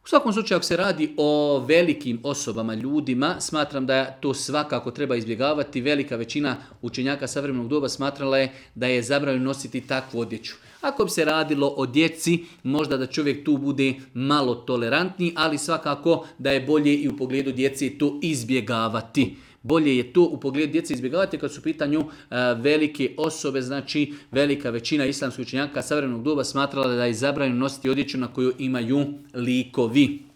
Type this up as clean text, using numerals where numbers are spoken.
U svakom slučaju, ako se radi o velikim osobama, ljudima, smatram da to svakako treba izbjegavati. Velika većina učenjaka savremenog doba smatrala je da je zabranjeno nositi takvu odjeću. Ako bi se radilo o djeci, možda da čovjek tu bude malo tolerantniji, ali svakako da je bolje i u pogledu djece to izbjegavati. Bolje je to u pogledu djece izbjegavati kad su u pitanju velike osobe, znači velika većina islamskih učenjaka savremenog doba smatrala da je zabranjeno nositi odjeću na koju imaju likovi.